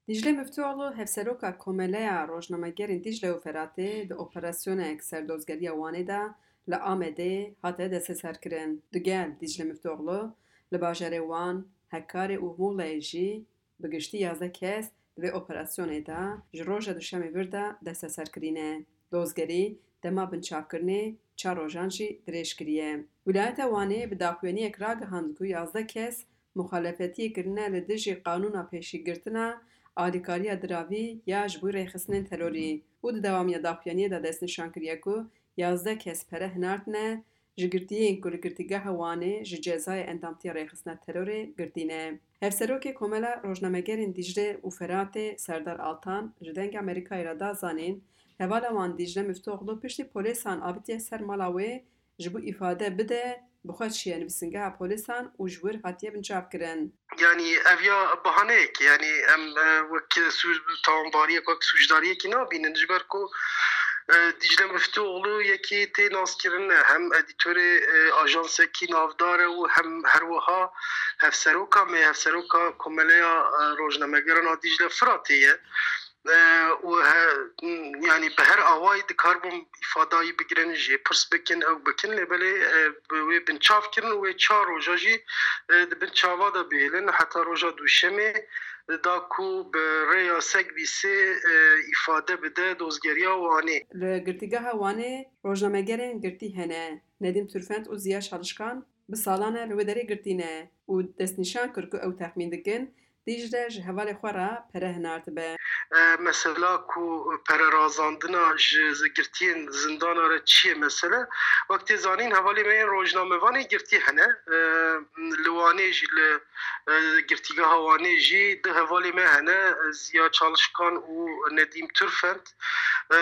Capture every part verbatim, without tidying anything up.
Dîcle Miftûoğlu, hevseroka Komeleya Rojnamegerên Dîcle û Feratê, di operasyonek ser dozgeriya Wanê de li Amedê hate desteserkirin. Digel Dîcle Miftûoğlu li bajarê Wan, Hekarê û Mûleyê jî bi giştî yazdeh kes di vê operasyonê de ji roja duşemê vir de desteser kirîne. Dozgerî dema binçavkirinê çar rojan jî dirêj kiriye. Wîlayeta Wanê bi daxuyaniyek ragihand ku yazdeh kes muxalefetiyê kirine li dijî qanûna pêşîgirtina alîkariya diravî ya ji bo rêxistinên terorî û di dewamiya daxuyaniyê de destnîşan kiriye ku yazdeh kes pere hinartine ji girtiyên ku li Girtîgeha Wanê ji cezayê endamtiya rêxistina terorê girtî ne. Hevserokê Komela Rojnamegerên Dîcle û Feratê Serdar Altan ji Dengê Amerîkayê re da zanîn, hevala wan Dîcle Miftûoğlu piştî polêsan avitiye ser mala wê ji bo îfade bide, bi xwe çiye nivîsingeha polêsan û ji wir hatiye binçavkirin. Yanî ev ya bahaneyek e, yanî em, e, wek sûc, tawanbariyek, wek sûcdariyekî nabînin, ji ber ku, e, Dîcle Miftûoğlu yekî tê naskirin e, hem edîtorê, e, ajansekî navdar e û hem her wiha hevseroka me, hevseroka Komeleya, e, Rojnamegeran a Dîcle Firatê ye. E, û he, yanî bi her awayî dikaribûn îfadayî bigirin, jê pirs bikin, ew bikin, lê belê, e, bi wê binçav kirin û wê çar roja jî, e, di bin çava de bihêlin heta roja duşemê, da ku bi rêya sekbîsê, e, îfade bide dozgeriya Wanê. Li Girtîgeha Wanê rojnamegerên girtî hene. Nedîm Turfent û Ziya Çalışkan bi salan e li wê derê girtî ne û destnîşan kir ku ew texmîn dikin Dîcle ji hevalê xwe re pere hinartibe. E, mesela ku pere razandina ji girtiyên zindana re çi ye mesele? Wek tê zanîn, hevalê me yên rojnamevanê girtî hene. E, li Wanê jî, li, e, girtîgeha Wanê jî du hevalê me hene, Ziya Çalışkan û Nedîm Turfent. E,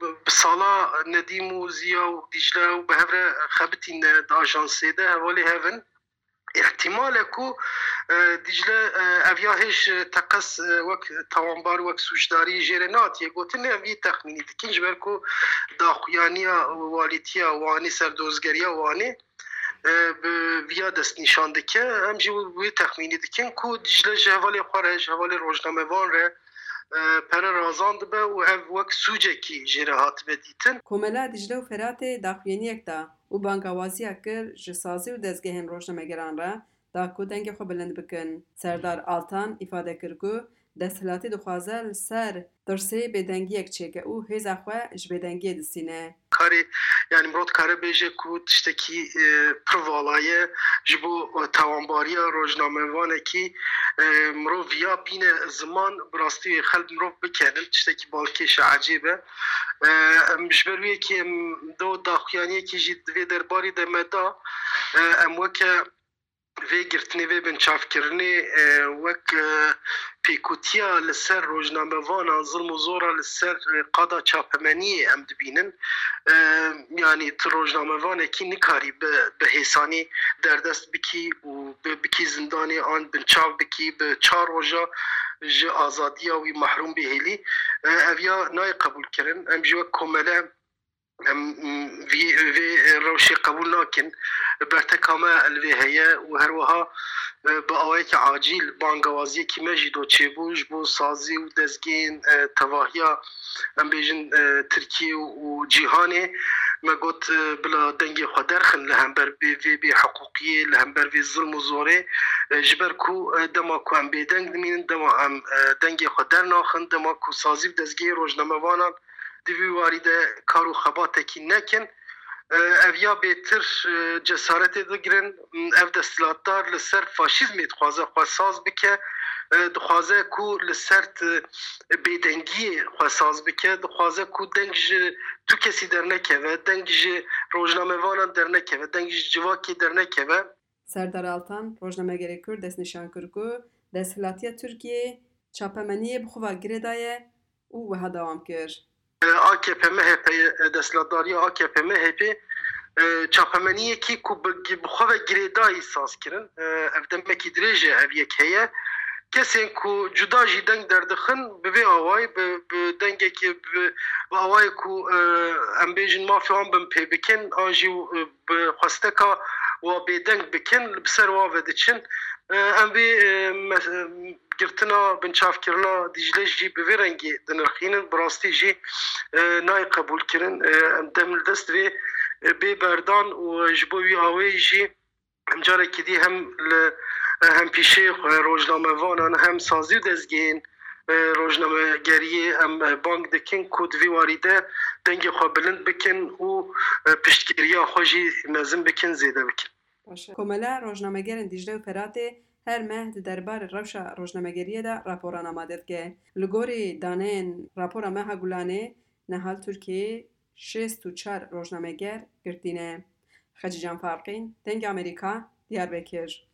bi sala Nedîm û Ziya û Dîcle û bi hev re xebitîne di ajansê de, hevalê hev in. Îhtimal e ku, e, Dîcle, e, ev ya hêj, e, teqez, e, wek tawanbar, wek sûcdarî jê re nehatiye gotin, lê em vî texmînî dikin, ji ber ku daxuyaniya walîtiya Wanê, serdozgeriya Wanê, e, bi viya destnîşan dike. Em jî wê texmînî dikin ku Dîcle ji hevalê xwe re, ji hevalê rojnamevan re, e, pere razandibe û ev wek sûcekî jê re hatibe dîtin. Komela Dîcle û Feratê daxuyaniyek da û bangawaziya kir ji sazî û dezgehên rojnamegeran re da ku dengê xwe bilind bikin. Serdar Altan îfade kir ku desthilatî dixwaze li ser tirsê bêdengiyek çêke û hêza xwe ji bêdengiyê distîne. Karê, yanî mirov dikare bêje ku tiştekî, e, pir vala ye ji bo, e, tawanbariya rojnamevanekî, e, mirov ya bîne ziman, bi rastî wê xelk mirov bikenin, tiştekî balkêş e, ecêb e. E, em ji ber wê yekê em do daxuyaniyekî jî di vê derbarî de me da, e, em weke vê girtinê, vê binçavkirinê, e, wek, e, pêkutiya li ser rojnamevanan, zilm û zora li ser, e, qada çapemeniyê em dibînin. E, yanî tu rojnamevanekî nikarî bi, bi hêsanî derdest bikî û bi, bikî zindanê an binçav bikî, bi çar roja ji azadiya wî mehrûm bihêlî. E, ev ya nayê qebûlkirin. Em jî wek komele Em, vî, vê rewşê qebûl nakin. Berteka me li vê heye û her wiha, e, bi awayekî acîl bangawaziyekî me jî do çêbû ji bo sazî û dezgehên, e, tevahiya, em bêjin, e, Tirkiyê û cîhanê. Me got, e, bila dengê xwe derxin li hember vê, vê bêhiqûqiyê, li hember vê zilm û zorê, e, ji ber ku, e, dema ku em bêdeng dimînin, dema em, e, dengê xwe dernaxin, dema ku sazî û dezgehê rojnamevanan di vî warî de kar û xebatekî nekin. E, ev ya bêtir, e, cesaretê digirin. Ev desthilatdar li ser faşîzmê dixwaze xwe saz bike. E, dixwaze ku li ser t-, bêdengiyê xwe saz bike. Dixwaze ku deng ji tu kesî dernekeve, deng ji rojnamevanan dernekeve, deng ji civakê dernekeve. Serdar Altan, rojnamegerê Kurd destnîşan kir ku desthilatiya Tirkiyê çapemeniyê bi xwe ve girêdaye û wiha dewam kir. A K P M H P, desthilatdariya A K P M H P, e, çapemeniyekî ku bi, bi xwe ve girêdayî saz kirin. E, ev demekî dirêj e ev yek heye. Kesên ku cuda jî deng derdixin, bi vê awayî, bi, bi dengekî, bi, bi awayê ku, e, em bêjin mafê wan binpê bikin, an jî, e, bi xwesteka wa bêdeng bikin, li ser wa ve diçin. E, em vê, e, me-, girtina binçavkirina Dîcle jî bi vê rengî dinirxînin. Bi rastî jî, e, nayê qebûlkirin. E, em dem li dest vê, e, bê berdan û ji bo wî awê jî em carekî dî hem li, e, hempîşeyê xwe, rojnamevanan, hem sazî û dezgehên, e, rojnamegeriyê em, e, bang dikin ku di vî warî de dengê xwe bilind bikin û, e, piştgiriya xwe jî mezin bikin, zêde bikin. Baş e. Komela Rojnamegerên Dîcle û Feratê her meh di derbarê rewşa rojnamegeriyê de raporan amade dike. Li gorî daneyên rapora Meha Gulanê, niha li Tirkiyeyê şêst û çar rojnameger girtî ne. Xecîcan Farqîn, Dengê Amerîka, Diyarbekir.